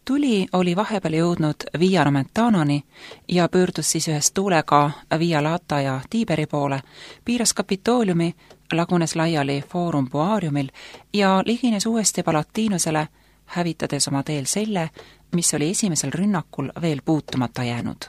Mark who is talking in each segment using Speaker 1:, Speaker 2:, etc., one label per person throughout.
Speaker 1: Tuli oli vahepeal jõudnud Via Nomentanoni ja pöördus siis ühes tuulega Via Lata ja Tiiberi poole, piiras Kapitooliumi, lagunes laiali Forum Boariumil ja ligines uuesti Palatiinusele, hävitades oma teel selle, mis oli esimesel rünnakul veel puutumata jäänud.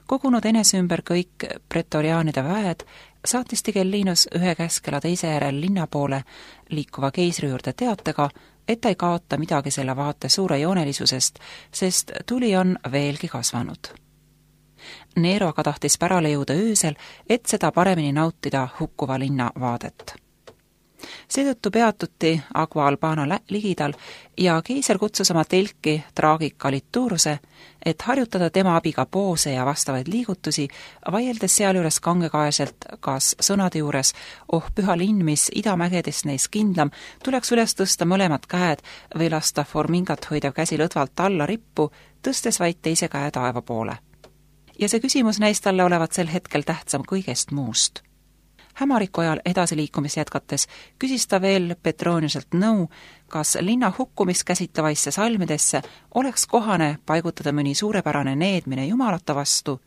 Speaker 1: Kogunud enese ümber kõik pretoriaanide väed, saatis Tigellinus ühe käskela teise järel linna poole liikuva keisri juurde teatega, et ta ei kaota midagi selle vaate suure joonelisusest, sest tuli on veelgi kasvanud. Nero aga tahtis pärale jõuda öösel, et seda paremini nautida hukkuva linna vaadet. Seetõttu peatuti Agua Albana ligidal ja keiser kutsus oma telki Traagika Lituruse, et harjutada tema abiga poose ja vastavaid liigutusi, vaieldes sealjuures kangekaeselt, kas sõnade juures püha linn, mis idamägedest neis kindlam, tuleks üles tõsta mõlemad käed või lasta Formingat hoidev käsi lõdvalt alla rippu, tõstes vaid teise käe taeva poole. Ja see küsimus näis talle olevat sel hetkel tähtsam kõigest muust. Hämariku ajal edasiliikumis jätkates küsis ta veel Petroniuselt nõu, kas linna hukkumist käsitlevaisse salmidesse oleks kohane paigutada mõni suurepärane needmine jumalate vastu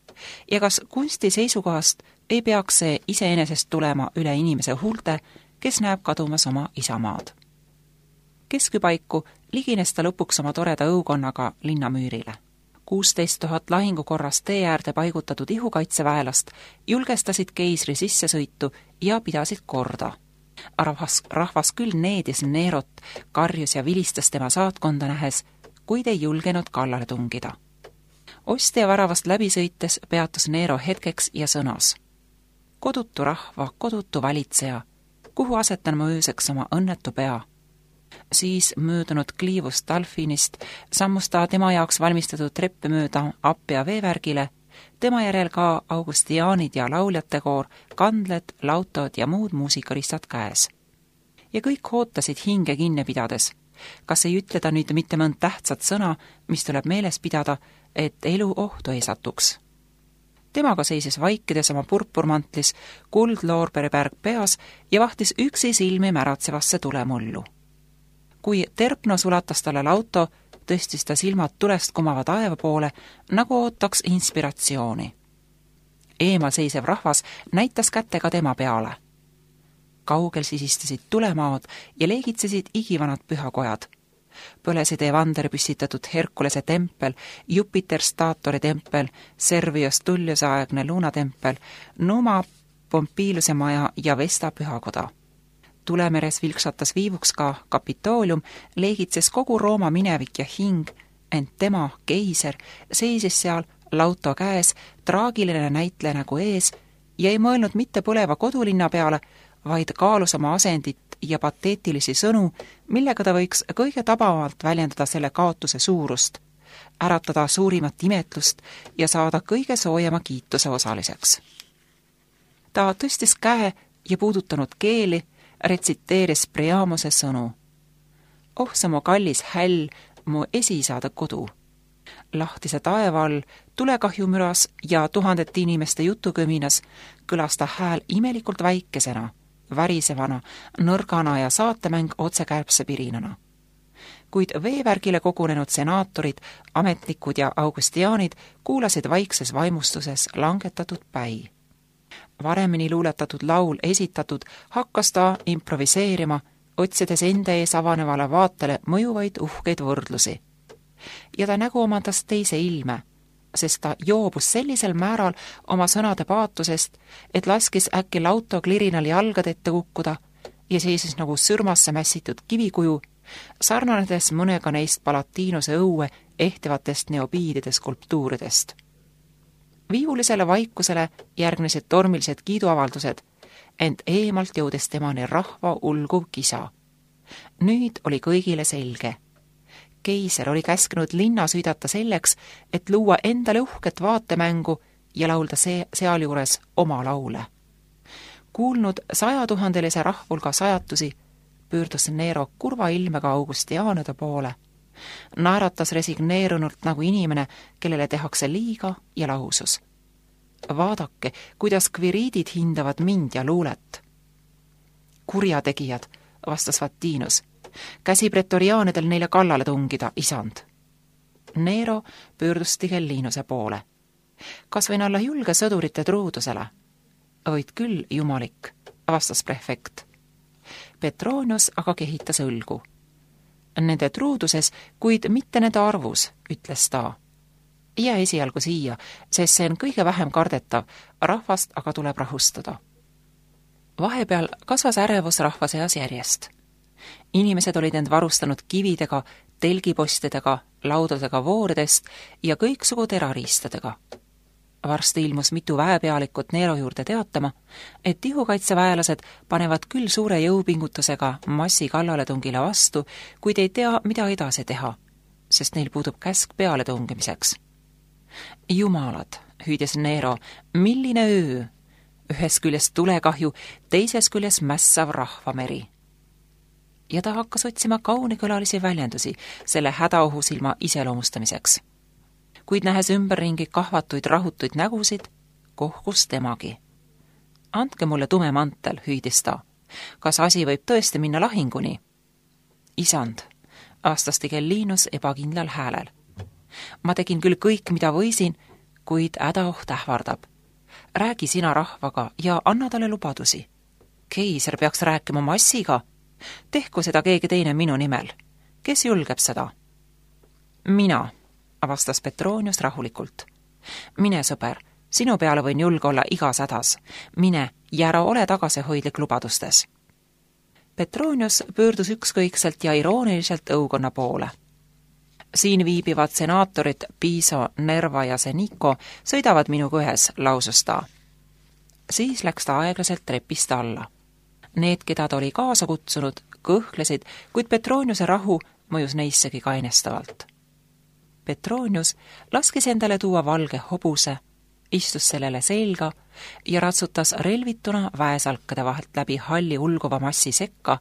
Speaker 1: ja kas kunsti seisukohast ei peaks see iseenesest tulema üle inimese huulte, kes näeb kadumas oma isamaad. Keskpaiku ligines ta lõpuks oma toreda õukonnaga linnamüürile. 16 000 lahingukorras tee äärde paigutatud ihukaitseväelast julgestasid keisri sissesõitu ja pidasid korda. Rahvas küll needis Nerot, karjus ja vilistas tema saatkonda nähes, kuid ei julgenud kallale tungida. Ostia väravast läbi sõites peatus Nero hetkeks ja sõnas: kodutu rahva, kodutu valitseja, kuhu asetan ma ööseks oma õnnetu pea? Siis möödunud kliivust Dalfinist sammus ta tema jaoks valmistatud treppe mööda Appia veevärgile, tema järel ka augustiaanid ja lauljate koor, kandled, lautod ja muud muusikaristad käes. Ja kõik ootasid hinge kinni pidades. Kas ei ütle ta nüüd mitte mõnd tähtsat sõna, mis tuleb meeles pidada, et elu ohtu ei satuks? Temaga seisis vaikides oma purpurmantlis, kuldloorberipärg peas ja vahtis üksi silmi märatsevasse tulemullu. Kui Terpnos ulatas talle lauto, tõstis ta silmad tulest kumava taeva poole, nagu ootaks inspiratsiooni. Eemal seisev rahvas näitas kätega tema peale. Kaugel sisistasid tulemaad ja leegitsesid igivanad pühakojad. Põlesid Evander püstitatud Herkulese tempel, Jupiter Staatori tempel, Servius Tulliuse aegne luunatempel, Numa Pompiluse maja ja Vesta pühakoda. Tulemeres vilksatas viivuks ka Kapitoolium, leegitses kogu Rooma minevik ja hing, ent tema, keiser, seisis seal lauto käes, traagiline näitleja nägu ees ja ei mõelnud mitte põleva kodulinna peale, vaid kaalus oma asendit ja pateetilisi sõnu, millega ta võiks kõige tabavalt väljendada selle kaotuse suurust, äratada suurimat imetlust ja saada kõige soojema kiituse osaliseks. Ta tõstis käe ja puudutanud keeli, retsiteeris Priamuse sõnu. Oh, see mu kallis häll, mu esisaada kodu. Lahtise taeva all, tulekahjumüras ja tuhandete inimeste jutukõminas kõlas ta hääl imelikult väikesena, värisevana, nõrgana ja saatemäng otsekärbse pirinana. Kuid veevärgile kogunenud senaatorid, ametnikud ja augustiaanid kuulasid vaikses vaimustuses langetatud päi. Varemini luuletatud laul esitatud, hakkas ta improviseerima, otsides enda ees avanevale vaatele mõjuvaid uhkeid võrdlusi. Ja ta nägu omandas teise ilme, sest ta joobus sellisel määral oma sõnade paatusest, et laskis äkki lauto klirinal jalgade ette kukkuda ja seisis nagu sürmasse mässitud kivikuju, sarnanedes mõnega neist Palatiinuse õue ehtivatest neobiidide skulptuuridest. Viivulisele vaikusele järgnesid tormilised kiiduavaldused, ent eemalt jõudes temani rahva ulguv kisa. Nüüd oli kõigile selge. Keiser oli käskinud linna süüdata selleks, et luua endale uhket vaatemängu ja laulda sealjuures oma laule. Kuulnud 100 000-lise rahvulga sajatusi, pöördus Nero kurva ilmega augustiaanide poole. Naeratas resigneerunult nagu inimene, kellele tehakse liiga ja lausus. Vaadake, kuidas kviriidid hindavad mind ja luulet. Kurjategijad, vastas Vattinus. Käsi pretoriaanidel neile kallale tungida, isand. Nero pöördus Tigellinuse poole. Kas võin olla julge sõdurite truudusele? Võid küll, jumalik, vastas prefekt. Petronius aga kehitas õlgu. Nende truuduses, kuid mitte nende arvus, ütles ta. Jää esialgu siia, sest see on kõige vähem kardetav, rahvast aga tuleb rahustada. Vahepeal kasvas ärevus rahva seas järjest. Inimesed olid end varustanud kividega, telgipostidega, laudadega vooridest ja kõiksugu terariistadega. Varsti ilmus mitu väepealikut Nero juurde teatama, et ihukaitseväelased panevad küll suure jõupingutusega massi kallaletungile vastu, kuid ei tea, mida edasi teha, sest neil puudub käsk pealetungimiseks. Jumalad, hüüdis Nero, milline öö! Ühes küljes tulekahju, teises küljes mässav rahvameri. Ja ta hakkas otsima kaunikõlalisi väljendusi selle hädaohusilma iseloomustamiseks. Kuid nähes ümberringi kahvatuid rahutuid nägusid, kohkus temagi. Andke mulle tume mantel, hüüdis ta. Kas asi võib tõesti minna lahinguni? Isand, vastas Tigellinus ebakindlal häälel. Ma tegin küll kõik, mida võisin, kuid hädaoht ähvardab. Räägi sina rahvaga ja anna talle lubadusi. Keiser peaks rääkima massiga. Tehku seda keegi teine minu nimel. Kes julgeb seda? Mina, vastas Petronius rahulikult. Mine, sõber, sinu peale võin julge olla igas hädas. Mine ja ära ole tagasihoidlik lubadustes. Petronius pöördus ükskõikselt ja irooniliselt õukonna poole. Siin viibivad senaatorid Piso, Nerva ja Senico sõidavad minuga ühes, lausus ta. Siis läks ta aeglaselt trepist alla. Need, keda ta oli kaasa kutsunud, kõhklesid, kuid Petroniuse rahu mõjus neissegi kainestavalt. Petronius laskis endale tuua valge hobuse, istus sellele selga ja ratsutas relvituna väesalkade vahelt läbi halli ulguva massi sekka,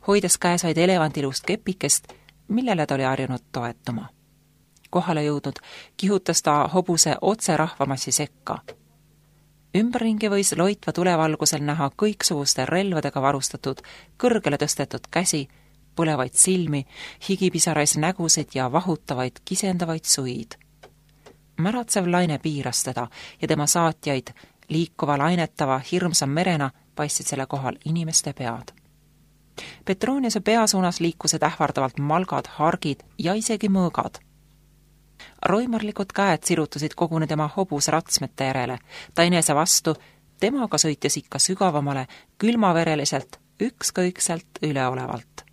Speaker 1: hoides käes vaid elevantilust kepikest, millele ta oli harjunud toetuma. Kohale jõudnud kihutas ta hobuse otse rahvamassi sekka. Ümberringi võis loitva tulevalgusel näha kõiksuguste relvadega varustatud, kõrgele tõstetud käsi, põlevaid silmi, higipisarais nägusid ja vahutavaid, kisendavaid suid. Märatsev laine piiras teda ja tema saatjaid, liikuva lainetava hirmsa merena paistsid selle kohal inimeste pead. Petroniuse pea suunas liikusid ähvardavalt malgad, hargid ja isegi mõõgad. Roimarlikud käed sirutusid koguni tema hobuse ratsmete järele, ta enese vastu, temaga sõitis ikka sügavamale, külmavereliselt, ükskõikselt üleolevalt.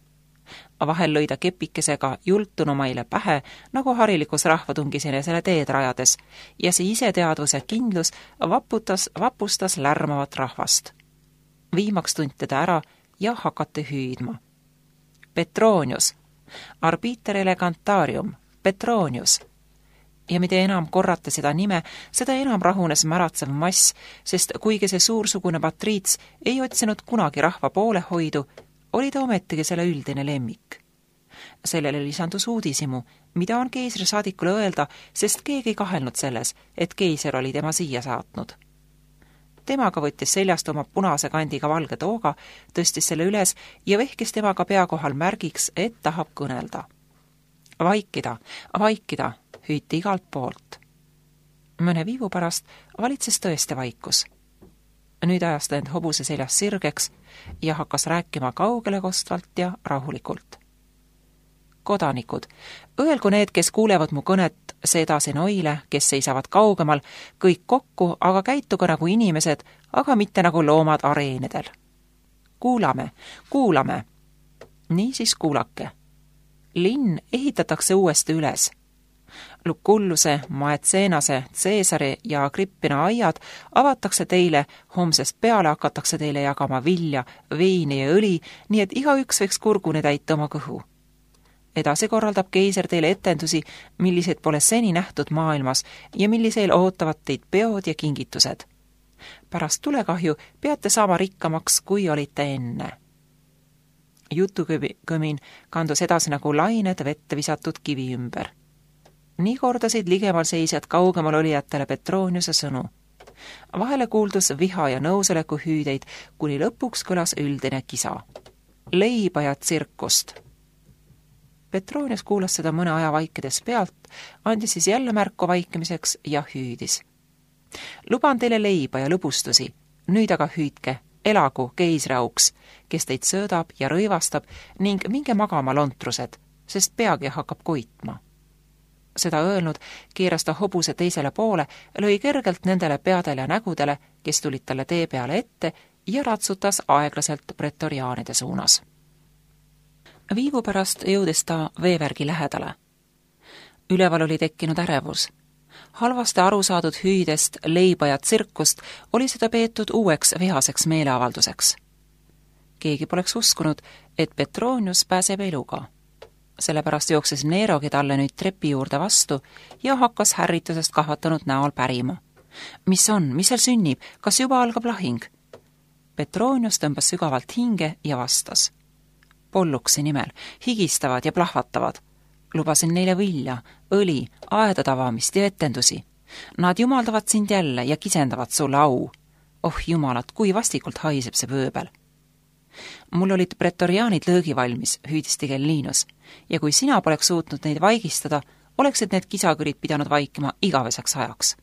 Speaker 1: Vahel lõi ta kepikesega jultunumaile pähe, nagu harilikus rahvatungis enesele teed rajades, ja see iseteadvus ja kindlus vapustas lärmavat rahvast. Viimaks tunti ta ära ja hakati hüüdma. Petronius, arbiter elegantarium, Petronius. Ja mida enam korrata seda nime, seda enam rahunes märatsev mass, sest kuigi see suursugune patriits ei otsinud kunagi rahva poolehoidu, oli ta ometigi selle üldine lemmik. Sellele lisandus uudisimu, mida on keisri saadikule öelda, sest keegi ei kahelnud selles, et keiser oli tema siia saatnud. Temaga võttis seljast oma punase kandiga valge tooga, tõstis selle üles ja vehkis temaga pea kohal märgiks, et tahab kõnelda. Vaikida, vaikida, hüüti igalt poolt. Mõne viivu pärast valitses tõesti vaikus. Nüüd ajas ta end hobuse seljas sirgeks ja hakkas rääkima kaugele kostvalt ja rahulikult. Kodanikud, öelgu need, kes kuulevad mu kõnet, see edasi noile, kes seisavad kaugemal, kõik kokku, aga käituge nagu inimesed, aga mitte nagu loomad areenidel. Kuulame, kuulame. Niisiis kuulake. Linn ehitatakse uuesti üles. Lukulluse, Maetseenase, Caesari ja Agrippina aiad avatakse teile, homsest peale hakatakse teile jagama vilja, veini ja õli, nii et igaüks võiks kurguni täita oma kõhu. Edasi korraldab keiser teile etendusi, millised pole seni nähtud maailmas ja millisel ootavad teid peod ja kingitused. Pärast tulekahju peate saama rikkamaks, kui olite enne. Jutukõmin kandus edasi nagu lained vette visatud kivi ümber. Nii kordasid ligemal seisjad kaugemal olijatele Petroniuse sõnu. Vahele kuuldus viha ja nõusoleku hüüdeid, kuni lõpuks kõlas üldine kisa. Leiba ja tsirkust. Petronius kuulas seda mõne aja vaikides pealt, andis siis jälle märku vaikimiseks ja hüüdis. Luban teile leiba ja lõbustusi, nüüd aga hüüdke, elagu keisriauks, kes teid söödab ja rõivastab ning minge magama lontrused, sest peagi hakkab koitma. Seda öelnud, keeras ta hobuse teisele poole, lõi kergelt nendele peadele ja nägudele, kes tulid talle tee peale ette ja ratsutas aeglaselt pretoriaanide suunas. Viivu pärast jõudis ta veevärgi lähedale. Üleval oli tekkinud ärevus. Halvasti aru saadud hüüdest, leiba ja tsirkust oli seda peetud uueks vihaseks meeleavalduseks. Keegi poleks uskunud, et Petronius pääseb eluga. Sellepärast jooksis Nerogi talle nüüd trepi juurde vastu ja hakkas härritusest kahvatanud näol pärima. Mis on, mis seal sünnib, kas juba algab lahing? Petronius tõmbas sügavalt hinge ja vastas. Polluksi nimel, higistavad ja plahvatavad. Lubasin neile vilja, õli, aeda tavamist ja etendusi. Nad jumaldavad sind jälle ja kisendavad sulle au. Oh jumalad, kui vastikult haiseb see pööbel. Mul olid pretoriaanid lõõgi valmis, hüüdis Tigellinus, ja kui sina poleks suutnud neid vaigistada, oleksid need kisakõrid pidanud vaikima igaveseks ajaks.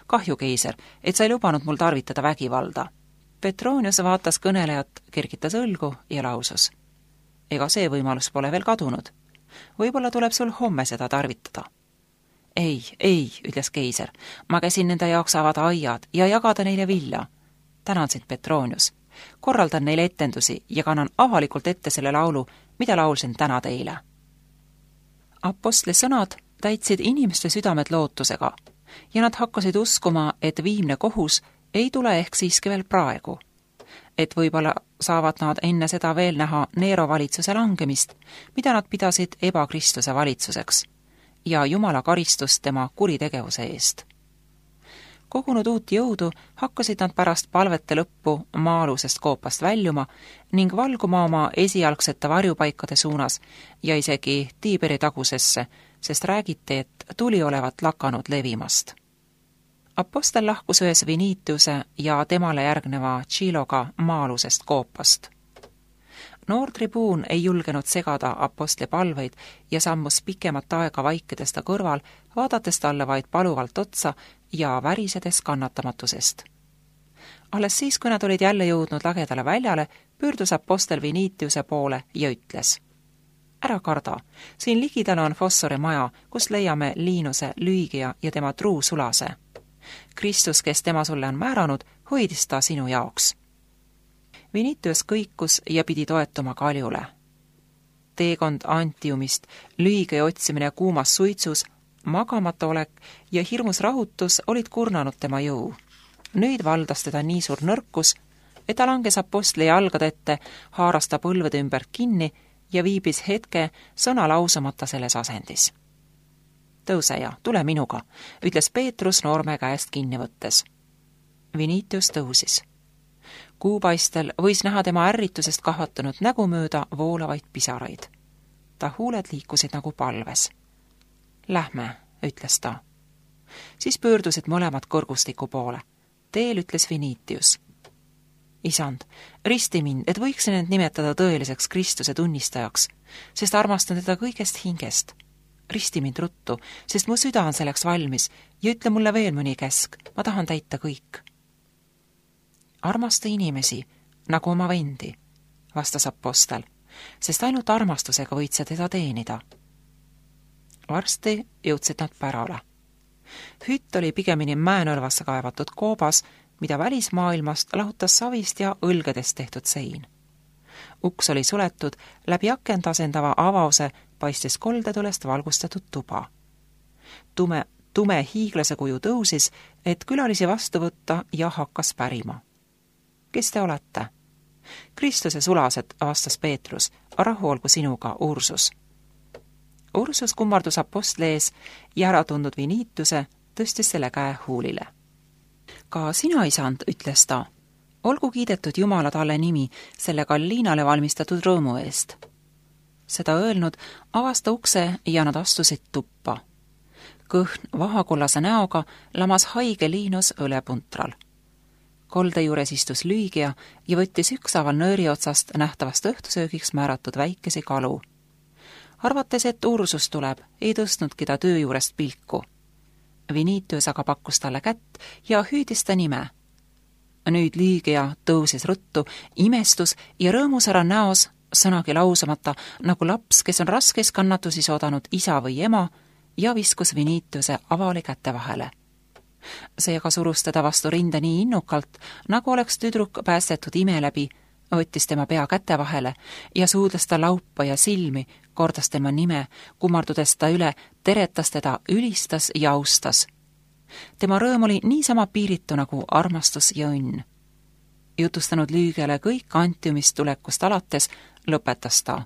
Speaker 1: Kahju, keiser, et sa ei lubanud mul tarvitada vägivalda. Petronius vaatas kõnelejat, kergitas õlgu ja lausus. Ega see võimalus pole veel kadunud. Võib-olla tuleb sul homme seda tarvitada. Ei, ütles keiser, ma käsin nende jaoks avada aiad ja jagada neile vilja. Tänan sind, Petronius. Korraldan neile etendusi ja kannan avalikult ette selle laulu, mida laulsin täna teile. Apostli sõnad täitsid inimeste südamed lootusega ja nad hakkasid uskuma, et viimne kohus ei tule ehk siiski veel praegu. Et võib-olla saavad nad enne seda veel näha Nero valitsuse langemist, mida nad pidasid ebakristuse valitsuseks, ja Jumala karistust tema kuritegevuse eest. Kogunud uut jõudu hakkasid nad pärast palvete lõppu maa-alusest koopast väljuma ning valguma oma esialgsete varjupaikade suunas ja isegi Tiiberi tagusesse, sest räägiti, et tuli olevat lakanud levimast. Apostel lahkus ühes Vinitiuse ja temale järgneva Chiloga maa-alusest koopast. Noor tribuun ei julgenud segada apostli palveid ja sammus pikemat aega vaikides ta kõrval, vaadates talle vaid paluvalt otsa ja värisedes kannatamatusest. Alles siis, kui nad olid jälle jõudnud lagedale väljale, pöördus apostel Vinitiuse poole ja ütles. Ära karda, siin ligidal on Fossori maja, kus leiame Liinuse, Lüügia ja tema truu sulase. Kristus, kes tema sulle on määranud, hoidis ta sinu jaoks. Vinitius kõikus ja pidi toetuma kaljule. Teekond Antiumist, Lüügia otsimine kuumas suitsus, magamata olek ja hirmus rahutus olid kurnanud tema jõu. Nüüd valdas teda nii suur nõrkus, et ta langes apostli jalgade ette, haaras ta põlvede ümbert kinni ja viibis hetke sõna lausamata selles asendis. Tõuse ja tule minuga, ütles Peetrus noorme käest kinni võttes. Vinitius tõusis. Kuupaistel võis näha tema ärritusest kahvatanud nägu mööda voolavaid pisaraid. Ta huuled liikusid nagu palves. Lähme, ütles ta. Siis pöördusid mõlemad kõrgustiku poole. Teel ütles Vinitius. Isand, risti mind, et võiksin end nimetada tõeliseks Kristuse tunnistajaks, sest armastan teda kõigest hingest. Risti mind ruttu, sest mu süda on selleks valmis ja ütle mulle veel mõni käsk, ma tahan täita kõik. Armasta inimesi, nagu oma vendi, vastas apostel, sest ainult armastusega võid sa teda teenida. Varsti jõudsid nad pärale. Hütt oli pigemini mäenõlvasse kaevatud koobas, mida välismaailmast lahutas savist ja õlgedest tehtud sein. Uks oli suletud, läbi akent asendava avause paistis koldetulest valgustatud tuba. Tume hiiglase kuju tõusis, et külalisi vastu võtta ja hakkas pärima. Kes te olete? Kristuse sulased, vastas Peetrus, rahu olgu sinuga, Ursus. Ursus kummardus apostli ees ja ära tundnud Vinitiuse tõstis selle käe huulile. Ka sina, isand, ütles ta, olgu kiidetud Jumala talle nimi selle Galliinale valmistatud rõõmu eest. Seda öelnud, avas ta ukse ja nad astusid tuppa. Kõhn vahakollase näoga lamas haige Liinus õlepuntral. Kolde juures istus Lüügia ja võttis ükshaaval nööri otsast nähtavast õhtusöögiks määratud väikesi kalu. Arvates, et Ursus tuleb, ei tõstnudki ta töö juurest pilku. Vinitius aga pakkus talle kätt ja hüüdis ta nime. Nüüd Lüügia tõusis ruttu, imestus ja rõõmusära näos, sõnagi lausamata, nagu laps, kes on raskes kannatusis oodanud isa või ema, ja viskus Vinitiuse avali kätte vahele. Seega surus teda vastu rinda nii innukalt, nagu oleks tüdruk päästetud ime läbi, võttis tema pea käte vahele ja suudles ta laupa ja silmi, kordas tema nime, kummardudes ta üle, teretas teda, ülistas ja austas. Tema rõõm oli niisama piiritu nagu armastus ja õnn. Jutustanud Lüügiale kõik Antiumist tulekust alates, lõpetas ta.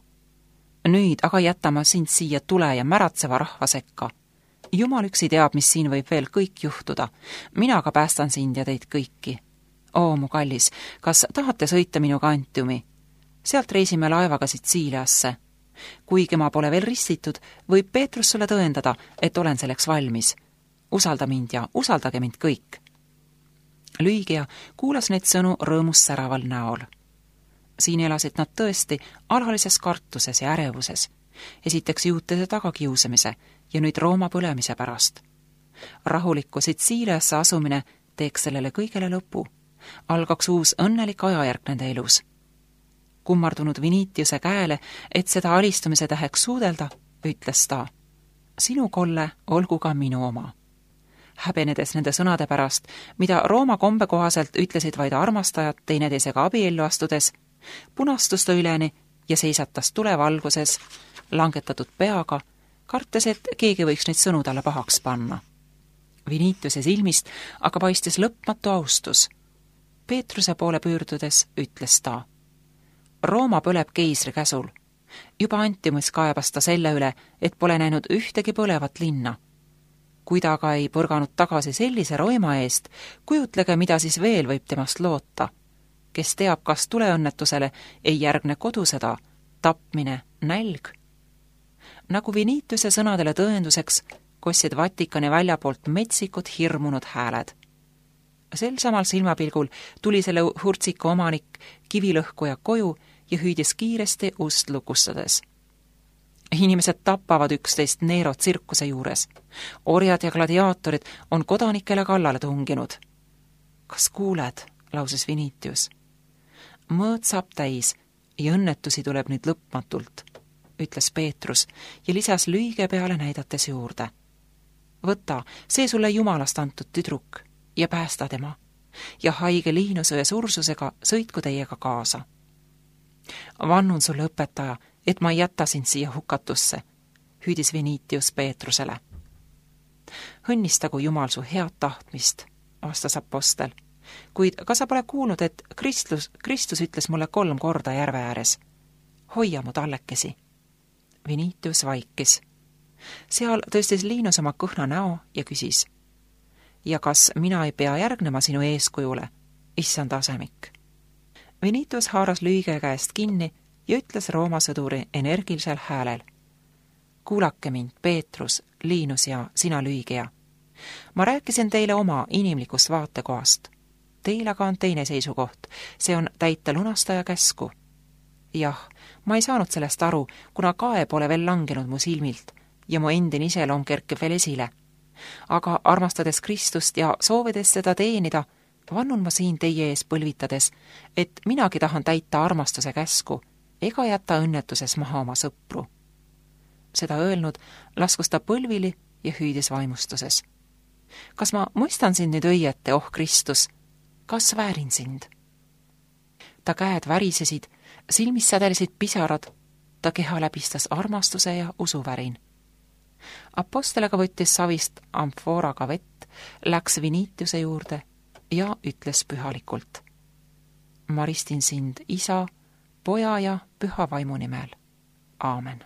Speaker 1: Nüüd aga jätama sind siia tule ja märatseva rahva sekka. Jumal üksi teab, mis siin võib veel kõik juhtuda. Mina aga päästan sind ja teid kõiki. Oo, mu kallis, kas tahate sõita minuga Antiumi? Sealt reisime laevaga Sitsiiliasse. Kuigi ma pole veel ristitud, võib Peetrus sulle tõendada, et olen selleks valmis. Usalda mind ja usaldage mind kõik. Lüügia kuulas neid sõnu rõõmus säraval näol. Siin elasid nad tõesti alalises kartuses ja ärevuses. Esiteks juutide tagakiusamise ja nüüd Rooma põlemise pärast. Rahulikku Sitsiiliasse asumine teeks sellele kõigele lõpu. Algaks uus õnnelik ajajärk nende elus. Kummardunud Vinitiuse käele, et seda alistumise täheks suudelda, ütles ta. Sinu kolle olgu ka minu oma. Häbenedes nende sõnade pärast, mida Rooma kombe kohaselt ütlesid vaid armastajad teineteisega abiellu astudes, punastus ta üleni ja seisatas tulevalguses, langetatud peaga, kartes, et keegi võiks neid sõnu talle pahaks panna. Vinitiuse silmist aga paistis lõpmatu austus. Peetruse poole pöördudes ütles ta. Rooma põleb keisri käsul. Juba Antiumis kaebas ta selle üle, et pole näinud ühtegi põlevat linna. Kui ta aga ei põrganud tagasi sellise roima eest, kujutlege, mida siis veel võib temast loota. Kes teab, kas tuleõnnetusele ei järgne kodusõda, tapmine, nälg. Nagu Vinitiuse sõnadele tõenduseks, kostsid Vatikani väljapoolt metsikud hirmunud hääled. Sel samal silmapilgul tuli selle hurtsiku omanik kivilõhkuja koju ja hüüdis kiiresti ust lukustades. Inimesed tapavad üksteist Nero tsirkuse juures. Orjad ja gladiaatorid on kodanikele kallale tunginud. Kas kuuled, lauses Vinitius. Mõõt saab täis ja õnnetusi tuleb nüüd lõpmatult, ütles Peetrus ja lisas Lüügia peale näidates juurde. Võta, see sulle Jumalast antud tüdruk ja päästa tema ja haige Liinusõe sursusega sõitku teiega kaasa. Vannun sulle, õpetaja, et ma ei jäta sind siia hukatusse, hüüdis Vinitius Peetrusele. Õnnistagu Jumal su head tahtmist, vastas apostel, kuid kas sa pole kuulnud, et Kristus ütles mulle 3 korda järve ääres? Hoia mu tallekesi. Vinitius vaikis. Seal tõstis Liinus oma kõhna näo ja küsis. Ja kas mina ei pea järgnema sinu eeskujule, issand asemik? Vinitius haaras Lüügia käest kinni ja ütles Rooma sõduri energilisel häälel. Kuulake mind, Peetrus, Liinus ja sina Lüügia. Ma rääkisin teile oma inimlikust vaatekohast. Teil aga on teine seisukoht, see on täita lunastaja käsku. Jah, ma ei saanud sellest aru, kuna kae pole veel langenud mu silmilt ja mu endine iseloom kerkib veel esile. Aga armastades Kristust ja soovides seda teenida, vannun ma siin teie ees põlvitades, et minagi tahan täita armastuse käsku ega jäta õnnetuses maha oma sõpru. Seda öelnud, laskus ta põlvili ja hüüdis vaimustuses. Kas ma mõistan sind nüüd õiete, oh Kristus? Kas väärin sind? Ta käed värisesid, silmis sädelisid pisarad, ta keha läbistas armastuse ja usuvärin. Apostel aga võttis savist amfooraga vett, läks Vinitiuse juurde ja ütles pühalikult. Ma ristin sind Isa, Poja ja Püha Vaimu nimel. Aamen.